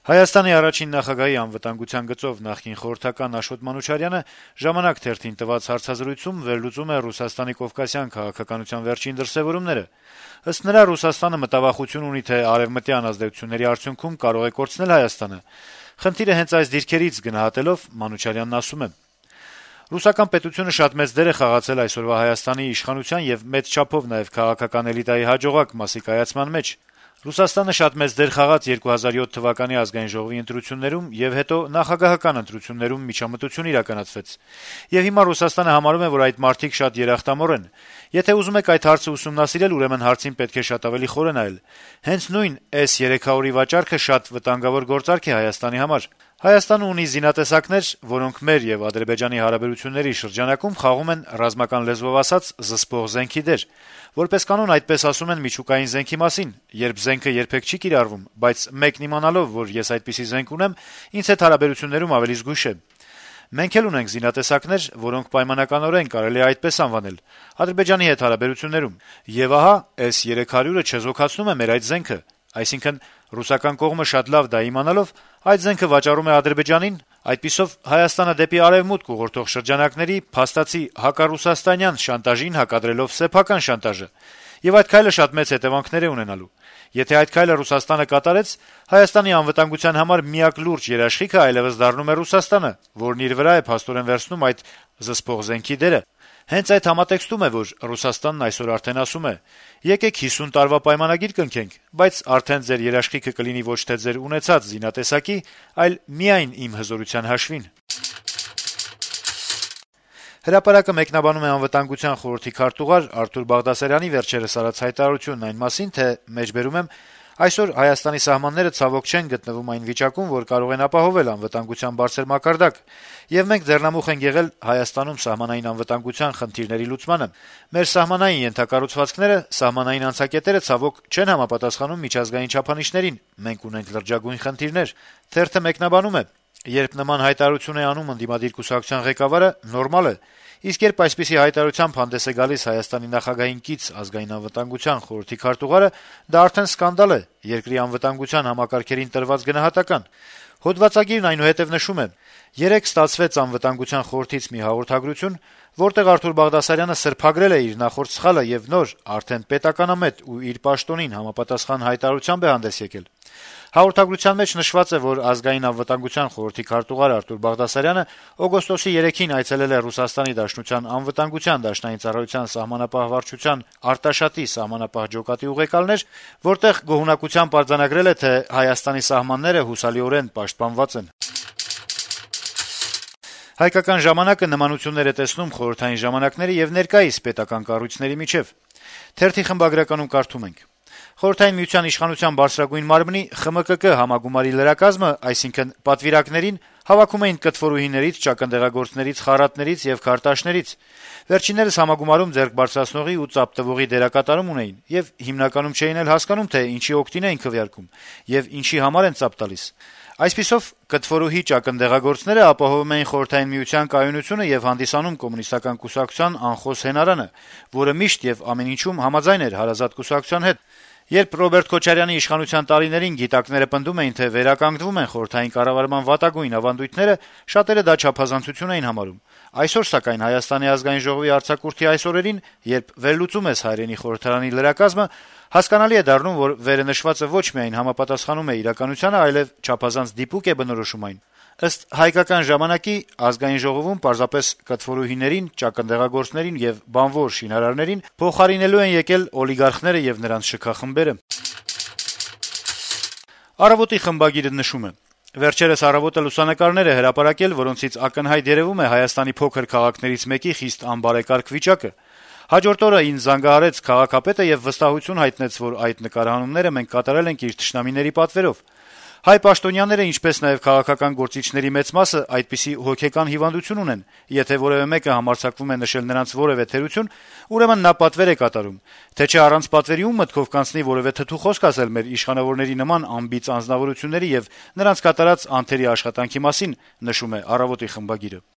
Հայաստանի առաջին նախագահի անվտանգության գծով նախկին խորհրդական Աշոտ Մանուչարյանը «Ժամանակ» թերթին տված հարցազրույցում վերլուծում է Ռուսաստանի կովկասյան քաղաքականության վերջին դրսեւորումները։ Ըստ նրա, Ռուսաստանը մտավախություն ունի, թե արեւմտյան ազդեցությունների արդյունքում կարող է կորցնել Հայաստանը։ Խնդիրը հենց այս դիրքերից գնահատելով Մանուչարյանն ասում է. «Ռուսական պետությունը շատ մեծ դեր է խաղացել այսօրվա Հայաստանի իշխանության եւ մեծ չափով նաեւ քաղաքական էլիտայի հաջողակ մասի կայացման մեջ։ Ռուսաստանը շատ մեծ դեր խաղաց 2007 թվականի ազգային ժողովի ընտրություններում եւ հետո նախագահական ընտրություններում միջամտություն իրականացվեց։ Եվ հիմա Ռուսաստանը համարում է, որ այդ մարդիկ շատ երախտամոռ են։ Եթե ուզում եք այդ հարցը ուսումնասիրել, ուրեմն հարցին պետք է շատ ավելի խորը նայել։ Հենց նույն S-300-ի վաճառքը շատ վտանգավոր գործարք է Հայաստանի համար։ Հայաստանը ունի զինատեսակներ, որոնք մեր եւ Ադրբեջանի հարաբերությունների շրջանակում խաղում են ռազմական լեզվով ասած զսպող զենքի դեր։ Որպես կանոն այդպես ասում են միջուկային զենքի մասին, երբ զենքը երբեք չի կիրառվում, բայց մեկն իմանալով, որ ես այդպիսի զենք ունեմ, ինձ հետ հարաբերություններում ավելի զգույշ է։ Մենք էլ ունենք զինատեսակներ, որոնք պայմանականորեն կարելի է այդպես անվանել Ադրբեջանի հետ հարաբերություններում։ Եվ ահա S-300-ը չեզոքացնում է մեր այդ զենքը։ Այսինքն ռուսական կողմը շատ լավ դա իմանալով այդ զենքը վաճառում է Ադրբեջանին, այդպիսով Հայաստանը դեպի արևմուտք ուղղորդող շրջանակների փաստացի հակառուսաստանյան շանտաժին հակադրելով սեփական շանտաժը։ Եվ այդ քայլը շատ մեծ հետևանքներ է ունենալու։ Եթե այդ քայլը Ռուսաստանը կատարեց, Հայաստանի անվտանգության համար միակ լուրջ երաշխիքը այլևս դառնում է Ռուսաստանը, որն իր վրա է փաստորեն վերցնում այդ զսպող զենքի դերը։ Հենց այդ համատեքստում է, որ Ռուսաստանն այսօր արդեն ասում է. «Եկեք 50 տարվա պայմանագիր կնքենք, բայց արդեն ձեր երաշխիքը կլինի ոչ թե ձեր ունեցած զինատեսակի, այլ միայն իմ հզորության հաշվին»։ Հրապարակը մեկնաբանում է Անվտանգության խորհրդի քարտուղար Արթուր Բաղդասարյանի վերջերս արած հայտարարությունն այն մասին, թե մեջբերում եմ այսօր Հայաստանի սահմանները ցավոք չեն գտնվում այն վիճակում, որ կարող են ապահովել անվտանգության բարձր մակարդակ, եւ մենք ձեռնամուխ ենք եղել Հայաստանում սահմանային անվտանգության խնդիրների լուծմանը։ Մեր սահմանային ենթակառուցվածքները, սահմանային անցակետերը ցավոք չեն համապատասխանում միջազգային չափանիշներին։ Մենք ունենք լրջագույն խնդիրներ։ Թերթը մեկնաբանում է. «Երբ նման հայտարարություն է անում ընդդիմադիր կուսակցության ղեկավարը, նորմալ է, իսկ երբ այսպիսի հայտարարությամբ հանդես է գալիս Հայաստանի նախագահին կից ազգային անվտանգության խորհրդի քարտուղարը, դա արդեն սկանդալ է, երկրի անվտանգության համակարգերին տրված գնահատական»։ Հոդվածագիրն այնուհետև նշում է. «Երեկ ստացվեց անվտանգության խորհրդից մի հաղորդագրություն, որտեղ Արթուր Բաղդասարյանը սրբագրել է իր նախորդ սխալը եւ նոր, արդեն պետականամետ ու իր պաշտոնին համապատասխան հայտարարությամբ է հանդես եկել։ Հաղորդագրության մեջ նշված է, որ ազգային անվտանգության խորհրդի քարտուղար Արթուր Բաղդասարյանը օգոստոսի 3-ին այցելել է Ռուսաստանի Դաշնության անվտանգության դաշնային ծառայության սահմանապահ վարչության Արտաշատի սահմանապահ ջոկատի ուղեկալներ, որտեղ գոհունակությամբ արձանագրել է, թե Հայաստանի սահմանները հուսալիորեն պաշտպանված են»։ «Հայկական ժամանակ»-ը նմանություններ է տեսնում խորհրդային ժամանակների եւ ներկայիս պետական կառույցների միջեւ։ Թերթի խմբագրականում կարդում ենք. «Խորհրդային միության իշխանության բարձրագույն մարմնի ԽՄԿԿ համագումարի լրակազմը, այսինքն պատվիրակներին, հավաքում էին կտվորուհիներից, ճակնդեղագործներից, խառատներից եւ քարտաշներից։ Վերջիններս համագումարում ձեռք բարձրացնողի ու ծափ տվողի դերակատարում ունեին եւ հիմնականում չէին էլ հասկանում, թե ինչի օգտին էին քվեարկում եւ ինչի համար են ծափ տալիս։ Այսպիսով, կտվորուհի ճակնդեղագործները ապահովում էին Խորհրդային միության կայունությունը եւ հանդիսանում կոմունիստական կուսակցության անխոս հենարանը, որը միշտ եւ ամեն ինչում համաձայն էր հարազատ կուսակցության հետ։ Երբ Ռոբերտ Քոչարյանի իշխանության տարիներին գիտակները պնդում էին, թե վերականգնվում են խորհրդային կառավարման վատագույն ավանդույթները, շատերը դա չափազանցություն էին համարում։ Այսօր, սակայն, Հայաստանի ազգային ժողովի արձակուրդի այս օրերին, երբ վերլուծում ես հայրենի խորհրդարանի լրակազմը, հասկանալի է դառնում, որ վերը նշվածը ոչ միայն համապատասխանում է իրականությանը, այլև չափազանց դիպուկ է բնորոշում այն։ Ըստ «Հայկական ժամանակի» ազգային ժողովում պարզապես կտվորուհիներին, ճակնդեղագործներին եւ բանվոր շինարարներին փոխարինելու են եկել օլիգարխները եւ նրանց շքախմբերը։ «Առավոտ»-ի խմբագիրը նշում է. «Վերջերս «Առավոտ»-ը լուսանկարներ է հրապարակել, որոնցից ակնհայտ երևում է Հայաստանի փոքր քաղաքներից մեկի խիստ անբարեկարգ վիճակը։ Հաջորդ օրը ինձ զանգահարեց քաղաքապետը եւ վստահություն հայտնեց, որ այդ նկարահանումները մենք կատարել ենք իր թշնամիների պատվերով։ Հայ պաշտոնյաները, ինչպես նաեւ քաղաքական գործիչների մեծ մասը այդպիսի հոգեկան հիվանդություն ունեն. եթե որեւէ մեկը համարձակվում է նշել նրանց որեւէ թերություն, ուրեմն նա պատվեր է կատարում, թե չէ առանց պատվերի ում մտքով կանցնի որեւէ թթու խոսք ասել մեր իշխանավորների նման անբիծ անձնավորությունների եւ նրանց կատարած անթերի աշխատանքի մասին», նշում է «Առավոտ»-ի խմբագիրը։